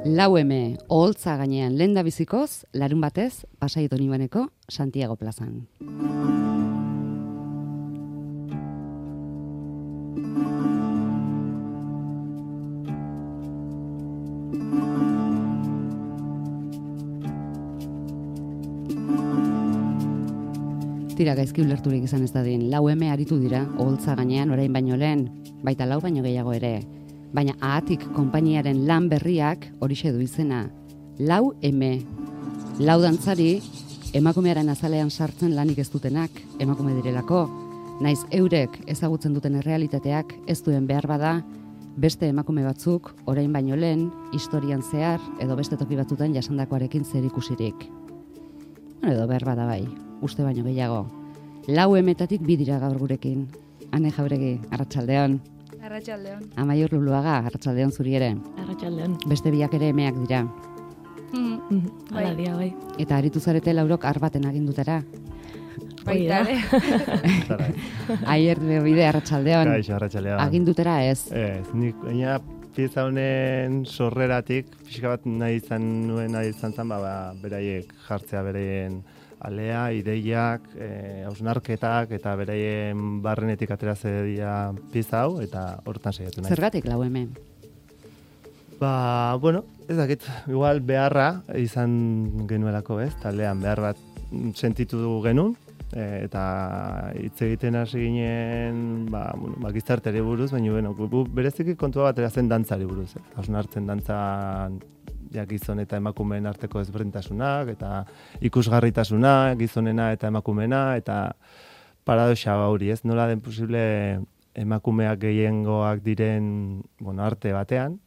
Laueme, oholtza gainean lehendabizikoz, larun batez, Pasai Donibaneko Santiago plazan. Tira gaizki ulerturik izan ez dadin, Laueme aritu dira, oholtza gainean orain baino lehen, baita lau baino gehiago ere. Baina ahatik konpainiaren lan berriak horixe du izena. Laueme. Lau dantzari, emakumearen azalean sartzen lanik ez dutenak, emakume direlako. Naiz eurek ezagutzen duten errealitateak ez duen behar bada, beste emakume batzuk, orain baino lehen, historian zehar, edo beste toki batzutan jasandakoarekin zer ikusirik. Edo behar bada bai, uste baino gehiago. Lauemetatik bi dira gaur gurekin. Ane Jauregi, arratsaldeon. Arratsaldeon. Amaiur Luluaga, arratsaldeon zuri ere. Arratsaldeon. Beste biak ere emeak dira. Hala dia, bai. Eta aritu zarete laurok arbaten agindutera. Baita ere. Aier bide, arratsaldeon. Kaixo, arratsaldeon. Agindutera ez. Ez, nik baina pieza honen sorreratik, pixka bat nahi izan zen, beraiek jartzea beraien alea, ideiak, hausnarketak eta beraien barrenetik atera zedia pieza hau, eta hortan saiatu nahi. Zergatik Laueme? Bueno, ez dakit, igual beharra izan genuelako, ez? Taldean behar bat sentitu genuen, eta hitz egiten hasi ginen, gizarteari buruz, baina bereziki kontua batera zen dantzari buruz. Hausnartzen dantzan gizon eta emakumeen arteko ezberdintasunak, eta ikusgarritasuna, gizonena eta emakumeena, eta paradoxa hori, ez? Nola den posible emakumeak gehiengoak diren arte batean,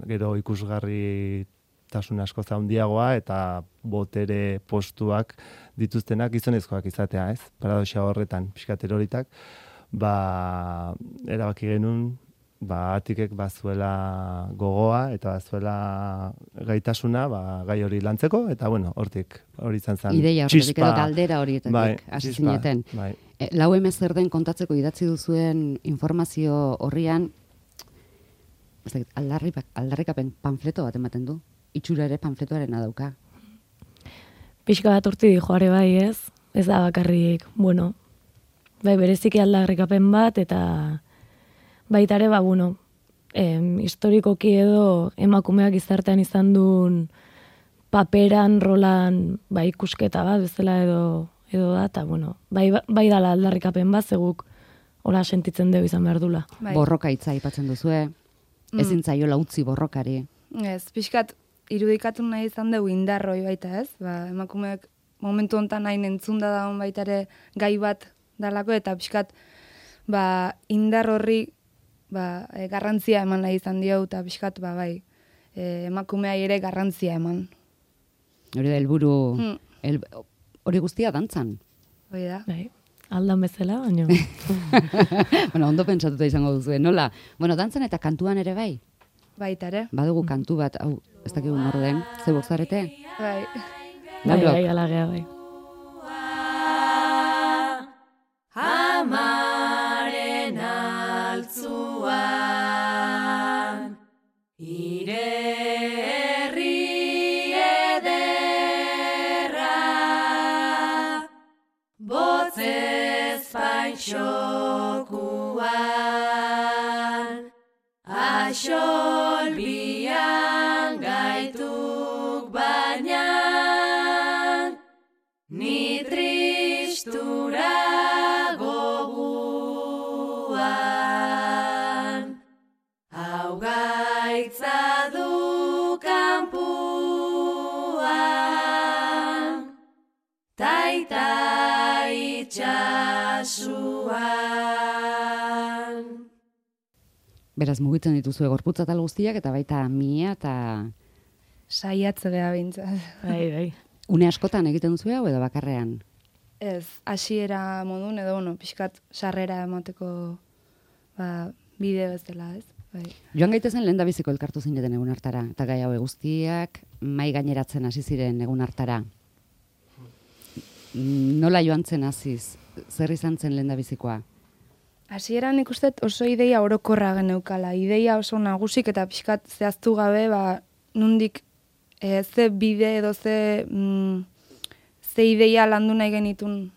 gero ikusgarritasun asko handiagoa eta botere postuak dituztenak gizonezkoak izatea, ez? Paradoxa horretan, pixkat eroritak, erabaki genuen, atikek bazuela gogoa eta bazuela gaitasuna, gai hori lantzeko, eta hortik, hori izan zen. Ideia horretik edo galdera horietatik, hasi zineten. Laueme zer den kontatzeko idatzi duzuen informazio horrian, aldarrikapen panfleto bat ematen du, itxura ere panfletoaren dauka. Pixka bat urti joare bai ez da bakarrik, bai bereziki aldarrikapen bat, eta baita ere, historikoki edo emakumeak gizartean izan duen paperan, rolan, ikusketa bat, bezala edo da, eta bai dala aldarrikapen bat, zeguk hola sentitzen dugu izan behar dula. Borroka hitza aipatzen duzue, ezin zaiola utzi borrokari. Ez, pixkat irudikatu nahi izan dugu indarroi baita ez, emakumeak momentu honetan hain entzunda dagoen baita ere gai bat dalako, eta pixkat indar horri garrantzia eman nahi izan dio, eta pixkat emakumeai ere garrantzia eman. Hori da helburu, hori guztia dantzan. Hori da. Aldan bezala, baina. Ondo pentsatuta izango duzu, nola? Dantzan eta kantuan ere bai? Baita ere. Badugu kantu bat, ez dakigu nor den, zebok zarete? Bai, alagea, bai. Amaren altzuan, ire herri ederra, botzez paintxokuan, axolbian gaituk baina, ni tristura goguan, hau gaitza du kanpuan, taita itxasuan. Beraz, mugitzen dituzue gorputza tal guztiak, eta baita mia eta... Saiatze beha bintzat. Bai. Une askotan egiten duzu edo bakarrean? Ez, hasiera modun edo, pixkat sarrera emateko bideo ez dela, ez? Bai. Joan gaitezen lehendabiziko elkartu zineten egun hartara, eta gai hau guztiak mai gaineratzen hasi ziren egun hartara. Nola joan zen hasiz? Zer izan zen lehendabizikoa? Hasieran ikusten oso ideia orokorra geneukala, ideia oso nagusik eta pixkat zehaztu gabe, nundik ze bide edo ze ideia landu nahi genitun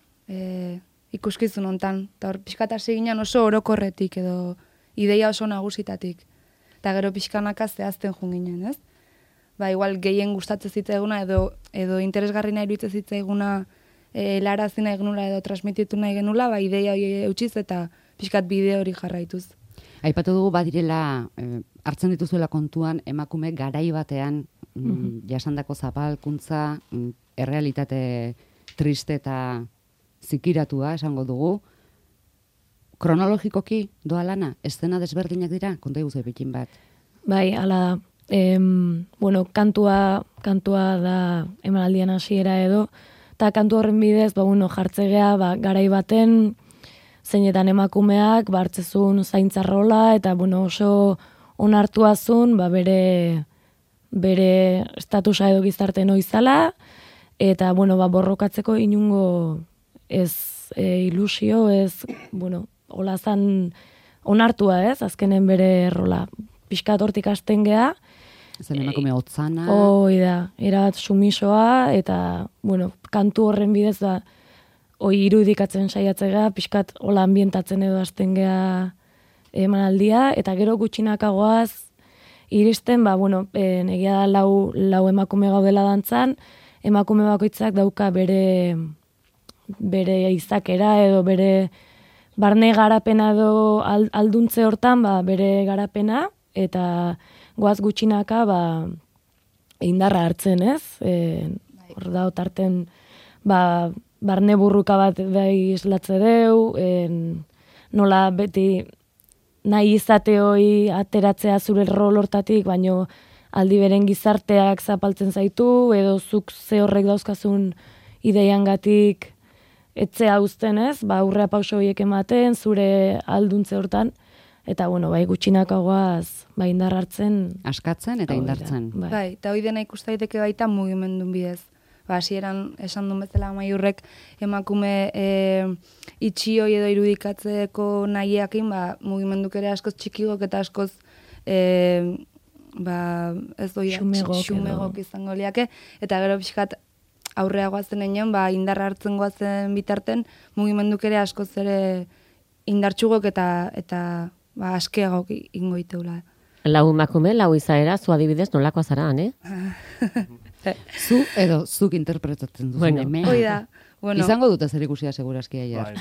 ikuskizun hontan. Eta hor pixkat hasi ginen oso orokorretik edo ideia oso nagusitatik. Eta gero pixkanaka zehazten jun ginen, ez? Igual gehien gustatzen zitzaiguna edo interesgarri nahi iruditzen zitzaiguna helarazi nahi genula edo transmititu nahi genula, ideia eutxiz eta pixkat bide hori jarraituz. Aipatu dugu badirela, hartzen dituzuela kontuan, emakume garai batean jasandako zapalkuntza, errealitate triste eta zikiratua, esango dugu. Kronologikoki doa lana, eszena desberdinak dira, konta iguzu epikin bat. Bai, ala, kantua da emanaldian hasiera edo, eta kantu horren bidez, jartzegea, garai baten, zeinetan emakumeak, hartzezun zaintzarrola, eta oso onartuazun, bere estatusa edo gizarte noizala, eta, borrokatzeko inungo ez ilusio, ez, olazan onartua ez, azkenen bere rola. Piskat hortik hasten geha. Zen emakume hotzana. Da, erabat sumisoa, eta, kantu horren bidez da, irudikatzen saiatzea, piskat hola ambientatzen edo hasten geha emanaldia, eta gero gutxinakagoaz iristen, egia da lau emakume gaudela dantzan, emakume bakoitzak dauka bere izakera edo bere barne garapena edo alduntze hortan, bere garapena, eta goaz gutxinaka indarra hartzen, ez? Hor da, otarten, barne burruka bat islatze deu, nola beti nahi izate hoi ateratzea zure rol hortatik, baino aldi beren gizarteak zapaltzen zaitu, edo zuk ze horrek dauzkazun ideiangatik etzea uzten, ez? Aurrea pauso horiek ematen, zure alduntze hortan, eta gutxinakagoaz indar hartzen. Askatzen eta indartzen. Bai, eta hoi dena ikustaiteke baita mugimendun bidez. Hasieran esan duen bezala Amaiurrek emakume itxioi edo irudikatzeko nahiakin, mugimenduk ere askoz txikigok eta askoz ez doia xumegok izango liake, eta gero pixkat aurrea goazen enean, indarra hartzen goazen bitarten, mugimenduk ere askoz ere indartxugok eta askeagok ingo iteula. Lau emakume, lau izaera, zu adibidez nolakoa zara, Zu edo zuk interpretatzen duzu. Oida. Izango dute zer ikusia segurazki aier.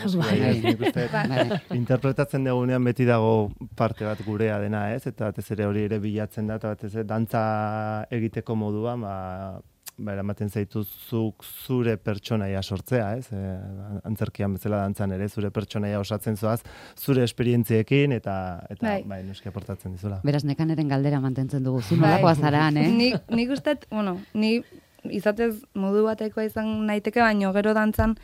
Interpretatzen dugunean beti dago parte bat gurea dena, ez? Eta batez ere hori ere bilatzen da, eta batez ere dantza egiteko modua, eramaten zaituzuk zure pertsonaia sortzea, ez? Antzerkian bezala dantzan ere zure pertsonaia osatzen zoaz, zure esperientziekin eta noski aportatzen dizula. Beraz, nekaneren galdera mantentzen dugu, zu nolakoa zaran, Nik ustet, ni izatez modu batekoa izan naiteke, baino gero dantzan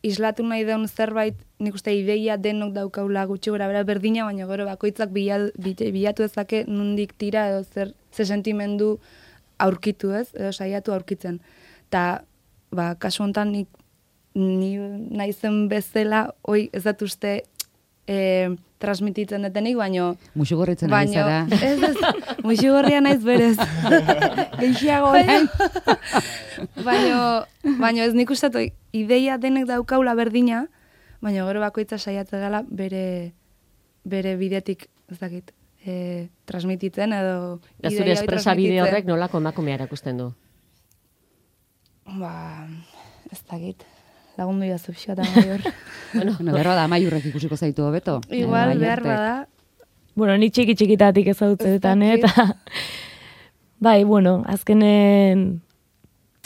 islatu nahi deun zerbait, nik uste ideia denok daukaula gutxi gora bera berdina, baino gero bakoitzak bilatu ezake nundik tira edo ze sentimendu aurkitu ez, edo saiatu aurkitzen. Eta, kasu honetan ni naizen bezala, ez dut uste transmititzen detenik, baino... Muxugorritzen ari zara. Ez, muxugorria naiz berez. Geixiago, baino ez nik uste ideia denek daukaula berdina, baino gero bakoitza saiatzen gala bere bidetik, ez dakit, transmititzen edo... Zure espresa bide horrek nolako emakumea erakusten du? Ez dakit. Lagundu jazu pixka eta Amaiur. Berra da Amaiurrek ikusiko zaitu hobeto. Igual, behar bada. Ni txiki-txikitatik ezagutzetan, eta... azkenen...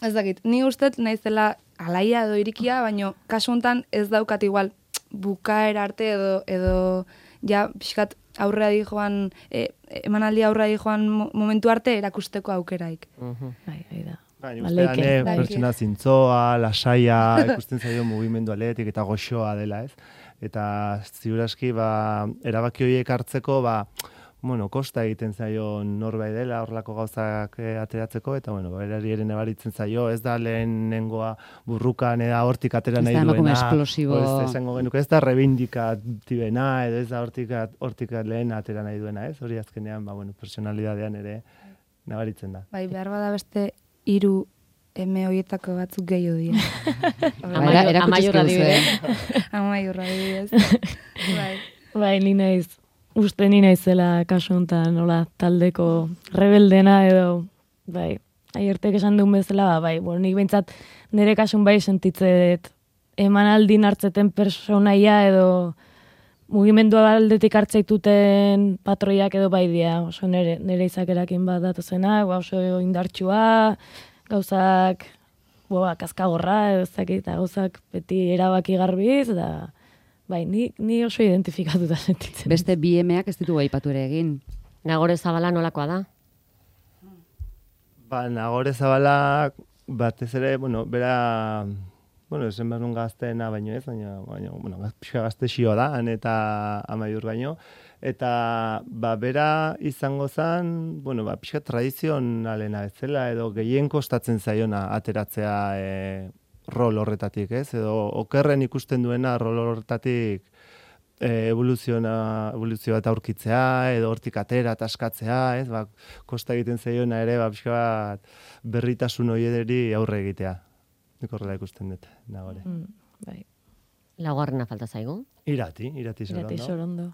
Ez dakit, ni ustet naizela alaia edo irikia, baino kasu honetan ez daukat igual bukaera arte edo ja pixkat aurrea di joan, emanaldi aurrea di joan momentu arte erakusteko aukeraik. Da. Ustean, pertsona zintzoa, lasaia, ikusten zaio mugimendu aletik eta goxoa dela, ez? Eta ziuraski, erabaki horiek hartzeko, bueno, kosta egiten zaio norbait dela horrelako gauzak ateratzeko, eta bueno, berari ere nabaritzen zaio, ez da lehenengoa burrukan eda hortik atera nahi duena. Ez da emakume esplosibo. Ez esango genuke, ez da reivindikatibena, edo ez da hortik lehen atera nahi duena, ez? Hori azkenean, bueno, personalidadean ere nabaritzen da. Bai, behar bada beste 3 eme horietako batzuk gehiago dira. Amaiurra dibide. Amaiurra dibidez. Bai. Bai, ni naizela kasu honetan, nola, taldeko rebeldena edo, bai, aiertek esan duen bezala, bai, bueno, nik behintzat nire kasun bai sentitzet emanaldin hartzeten personaia edo mugimendua aldetik hartzaituten patroiak edo bai dia, oso nire izakerakin bat datozenak, oso indartsua, gauzak, kaskagorra, edo zakit, gauzak beti erabaki garbiz, da, bai, ni oso identifikatuta sentitzen. Beste bi emeak ez ditugu aipatu ere egin. Nagore Zabala nolakoa da? Ba, Nagore Zabala batez ere, bera, esen behar nun gazteena baino ez, baina, pixka gazte xio da, han eta Amaiur baino, eta, bera izango zen, pixka tradizionalena bezala, edo gehien kostatzen zaiona ateratzea rol horretatik, ez? Edo okerren ikusten duena rol horretatik evoluzioa eta aurkitzea, edo hortik atera eta askatzea, ez? Kosta egiten zaiona ere, pixka bat berritasun horiederi aurre egitea. Nik horrela ikusten dut, Nagore. Bai. Laugarrena falta zaigu? Irati Sorondo.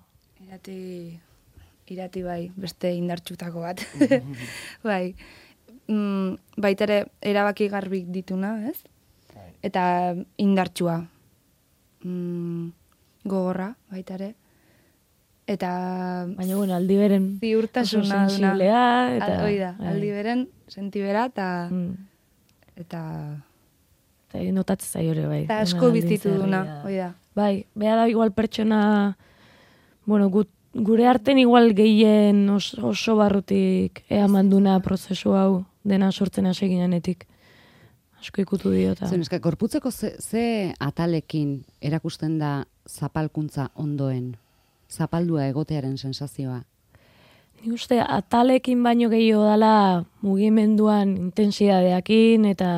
Irati bai, beste indartxutako bat. Bai. Baitere erabaki garbik dituna, ez? Eta indartsua. Gogorra, baita ere. Eta... Baina, aldi beren... Ziurtasuna duna. Eta... aldi beren, sentibera, eta... Eta notatzen zaio bai. Eta asko bizitu duna, oida. Bai, beha da igual pertsona... gure arten igual gehien oso barrutik manduna prozesu hau dena sortzen hasi ginenetik. Asko ikutu diota. Zer, gorputzeko ze atalekin erakusten da zapalkuntza ondoen? Zapaldua egotearen sensazioa? Ni uste atalekin baino gehiago dala mugimenduan intensidadeakin eta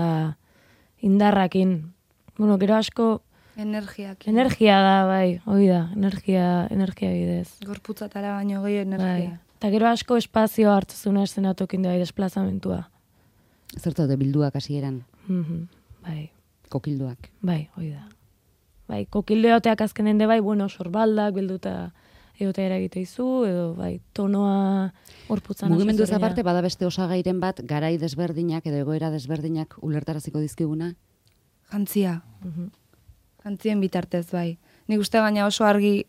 indarrakin. Gero asko... Energia da, bai, hori da, energia bidez. Gorputzatara baino gehiago energia. Bai. Eta gero asko espazio hartzezuna eszenatokin da, desplazamentua. Zertu bilduak hasieran? Bai. Kokilduak. Bai, hori da. Bai, kokildu egoteak azkenen de bai, sorbaldak bilduta egotea eragite izu, edo bai, tonoa gorputzan. Mugimendu ez aparte, bada beste osagairen bat, garai desberdinak edo egoera desberdinak ulertaraziko dizkiguna? Jantzia. Jantzien bitartez, bai. Nik uste gaina oso argi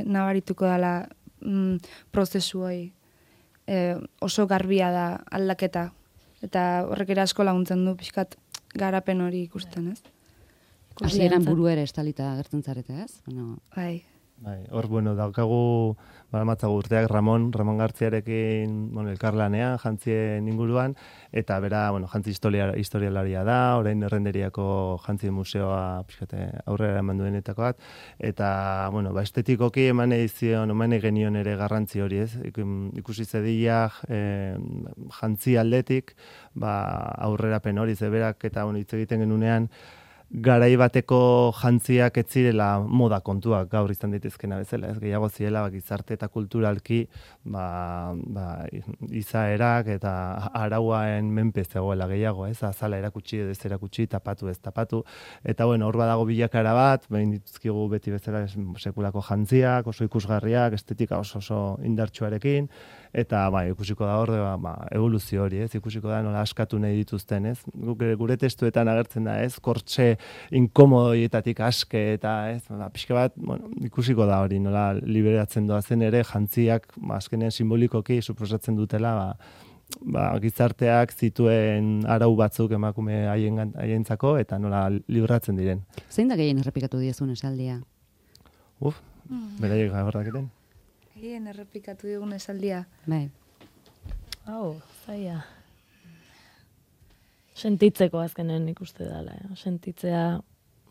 nabarituko dela prozesu hori. Oso garbia da aldaketa. Eta horrek ere asko laguntzen du pixkat garapen hori ikusten, ez? Hasieran buru ere estalita gertzen zarete, ez? Bai. Hor, daukagu, matzagu urteak Ramon Gartziarekin, elkarlanean, jantzien inguruan, eta bera, jantzi historialaria da, orain errenderiako jantzi museoa aurrera eman duenetako bat, eta, estetikoki eman genion ere garrantzi hori, ez? Ikusi zediak jantzi aldetik, aurrerapen hori, zeberak, eta hitz egiten genunean, garai bateko jantziak ez zirela moda kontuak gaur izan daitezkena bezala, ez gehiago zirela gizarte eta kulturalki izaerak eta arauaen menpe zegoela gehiago, ez azala erakutsi edo ez erakutsi, tapatu ez tapatu, eta hor badago bilakara bat, behin dituzkigu beti bezala sekulako jantziak, oso ikusgarriak, estetika oso indartsuarekin, eta ikusiko da hor evoluzio hori, ez ikusiko da nola askatu nahi dituzten, ez gure testuetan agertzen da, ez kortxe inkomodoietatik aske eta ez, pixka bat, ikusiko da hori, nola liberatzen doazen ere, jantziak, azkenean simbolikoki suposatzen dutela, gizarteak zituen arau batzuk emakume haientzako eta nola libratzen diren. Zein da gehien errepikatu diezun esaldia? Beraiek gabardaketen. Gehien errepikatu digun esaldia. Bai. Zaila. Sentitzeko azkenen ikuste dela. Sentitzea,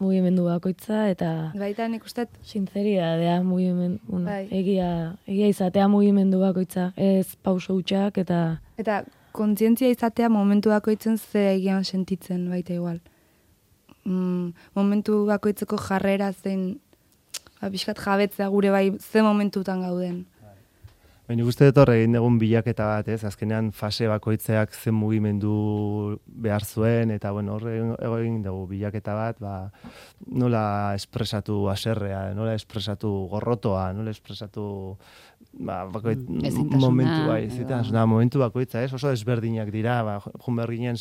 mugimendu bakoitza, eta Baita nik uste, sinceridadea mugimendu, Bai. egia izatea mugimendu bakoitza, ez pauso hutsak eta kontzientzia izatea momentu bakoitzen ze egian sentitzen baita igual. Momentu bakoitzeko jarrera zein, pixkat jabetzea gure bai ze momentutan gauden. Baina guzti dut horre egin dugun bilaketa bat, ez? Azkenean fase bakoitzeak zen mugimendu behar zuen, eta bueno, horre egin dugu bilaketa bat, nola espresatu aserrea, nola espresatu gorrotoa, nola espresatu momentu momentu bakoitza, ez? Oso desberdinak dira, jun behar ginen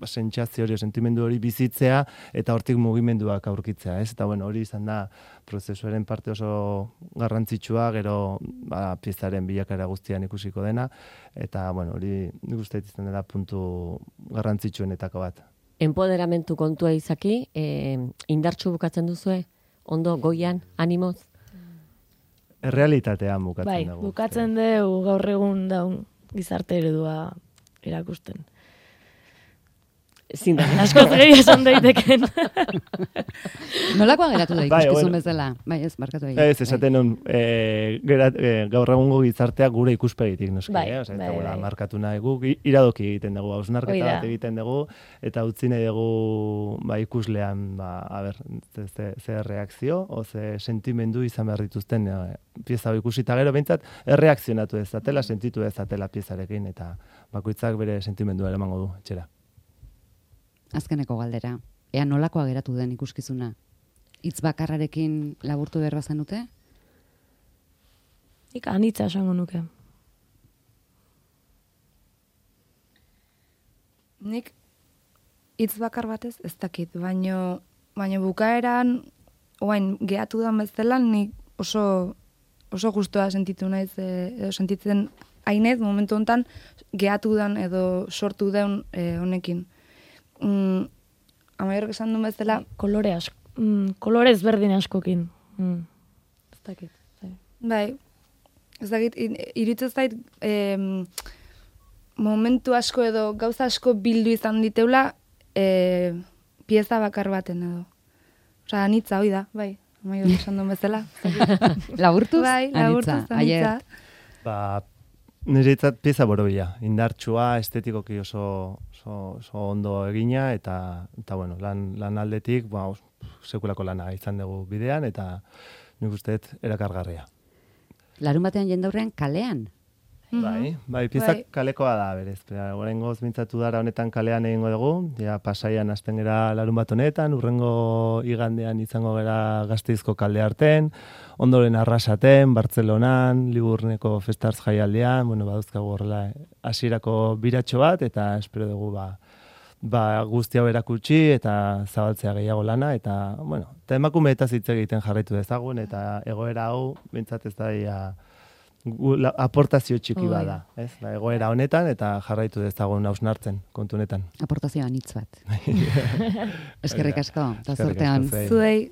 sentsazio hori, sentimendu hori bizitzea, eta hortik mugimenduak aurkitzea, ez? Eta bueno, hori izan da prozesuaren parte oso garrantzitsua, gero piezaren bilakara guztian ikusiko dena, eta bueno, hori nik uste izan dela puntu garrantzitsuenetako bat. Empoderamentu kontua izaki, indartsu bukatzen duzue? Ondo, goian, animoz? Errealitatean bukatzen dugu. Bai, bukatzen dugu gaur egun daun gizarte eredua erakusten. Askoz gehi esan daiteken. Nolakoa geratu da ikuskizun bezala? Bai, ez, markatu egin. Ez, esaten nun, gaur egungo gizartea gure ikuspegitik, noski. Bai. Markatu nahi guk, iradoki egiten dugu, hausnarketa bat egiten dugu, eta utzi nahi dugu ikuslean, ze reakzio, o ze sentimendu izan behar dituzten pieza ikusita gero, behintzat, erreakzionatu ezatela, sentitu ezatela piezarekin, eta bakoitzak bere sentimendua eramango du, etxera. Azkeneko galdera. Ea nolakoa geratu den ikuskizuna? Hitz bakarrarekin laburtu behar bazenute? Nik anitza esango nuke. Nik hitz bakar batez ez dakit, baino bukaeran, oain gehatu da bezala, nik oso gustoa sentitu naiz, edo sentitzen hainez, momentu honetan, gehatu dan edo sortu den honekin. Amaiorok esan duen bezala, kolore ezberdin askokin. Ez dakit. Bai, ez dakit, iruditzen zait, momentu asko edo gauza asko bildu izan diteula, pieza bakar baten edo. Osa, anitza, hoi da, bai, amaiorok esan duen bezala. Laburtuz? Bai, laburtuz, anitza. Niretzat pieza borobila, indartsua, estetikoki oso ondo egina, eta bueno, lan aldetik, sekulako lana izan dugu bidean, eta nik usteet erakargarria. Larun batean jendaurrean kalean? Bai, piezak kalekoa da, berez. Horrengoz mintzatu dara honetan kalean egingo dugu, Pasaian hasten gera larun bat honetan, urrengo igandean izango gera Gasteizko kalde arten, ondoren Arrasaten, Bartzelonan, Liburneko Festartz jaialdean, baduzkagu horrela hasierako biratxo bat, eta espero dugu guzti hau erakutsi, eta zabaltzea gehiago lana, eta emakumeetaz hitz egiten jarraitu dezagun, eta egoera hau, bintzat ez da aportazio txiki bada, ez? Egoera honetan eta jarraitu dezagun hausnartzen kontu honetan. Aportazioa anitz bat. Eskerrik asko, eta zortean. Zuei.